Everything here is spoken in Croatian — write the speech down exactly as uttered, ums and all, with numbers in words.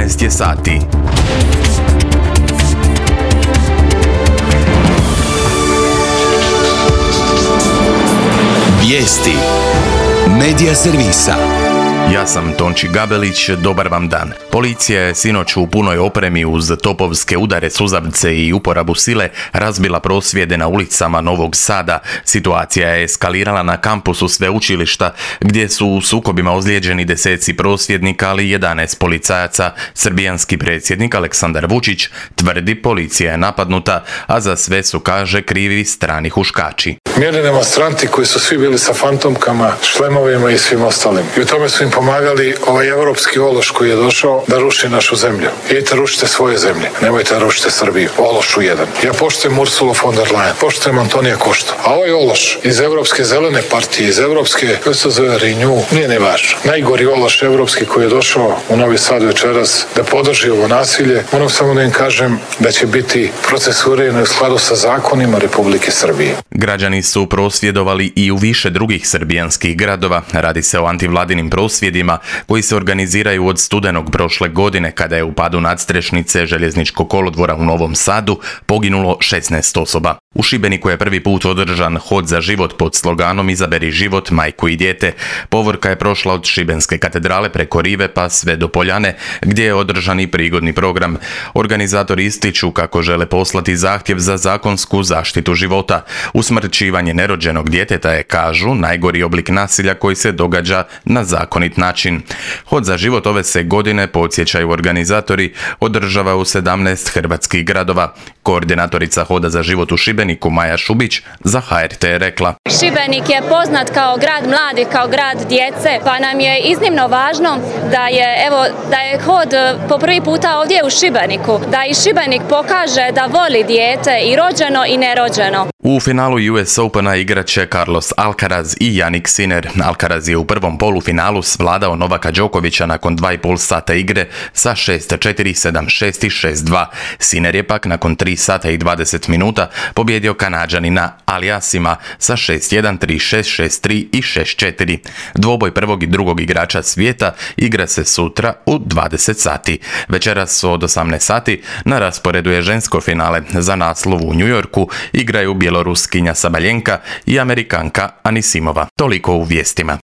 jedanaest je sati. Vijesti Medija servisa. Ja sam Tonči Gabelić, dobar vam dan. Policija je sinoć u punoj opremi uz topovske udare, suzavce i uporabu sile razbila prosvjede na ulicama Novog Sada. Situacija je eskalirala na kampusu sveučilišta gdje su u sukobima ozlijeđeni deseci prosvjednika, ali jedanaest policajaca. Srbijanski predsjednik Aleksandar Vučić tvrdi policija je napadnuta, a za sve su, kaže, krivi strani huškači. Mirni demonstranti koji su svi bili sa fantomkama, šlemovima i svim ostalim. I u tome su im pomagali ovaj evropski ološ koji je došao da ruši našu zemlju. Idite rušite svoje zemlje, nemojte da rušite Srbiju. Ološu jedan. Ja poštujem Ursulu von der Leyen, poštujem Antonija Koštu. A ovaj ološ iz Evropske zelene partije, iz Evropske, kako se zove, Renew, nije ne važno. Najgori ološ evropski koji je došao u Novi Sad večeras da podrži ovo nasilje, moram samo da im kažem da će biti procesuirano u skladu sa zakonima Republike Srbije. Građani su prosvjedovali i u više drugih srbijanskih gradova. Radi se o antivladinim prosvjedima koji se organiziraju od studenog prošle godine, kada je u padu nadstrešnice željezničkog kolodvora u Novom Sadu poginulo šesnaest osoba. U Šibeniku je prvi put održan hod za život pod sloganom Izaberi život, majku i dijete. Povorka je prošla od Šibenske katedrale preko Rive pa sve do Poljane, gdje je održan i prigodni program. Organizatori ističu kako žele poslati zahtjev za zakonsku zaštitu života. Usmrćivanje nerođenog djeteta je, kažu, najgori oblik nasilja koji se događa na zakonit način. Hod za život ove se godine, podsjećaju organizatori, održava u sedamnaest hrvatskih gradova. Koordinatorica Hoda za život u Šibeniku Maja Šubić za H R T je rekla: Šibenik je poznat kao grad mladih, kao grad djece, pa nam je iznimno važno da je, evo, da je hod po prvi puta ovdje u Šibeniku, da i Šibenik pokaže da voli dijete i rođeno i nerođeno. U finalu U S Opena igraće Carlos Alcaraz i Jannik Sinner. Alcaraz je u prvom polufinalu svladao Novaka Đokovića nakon dva i pol sata igre sa šest četiri, sedam šest i šest dva. Sinner je pak nakon tri sata i dvadeset minuta pobjedio Kanađanina Aliasima sa šest jedan, tri šest, šest tri i šest četiri. Dvoboj prvog i drugog igrača svijeta igra se sutra u dvadeset sati. Večeras od osamnaest sati na rasporedu je žensko finale. Za naslov u New Yorku igraju bjeloruskinja Sabaljenka i Amerikanka Anisimova. Toliko u vijestima.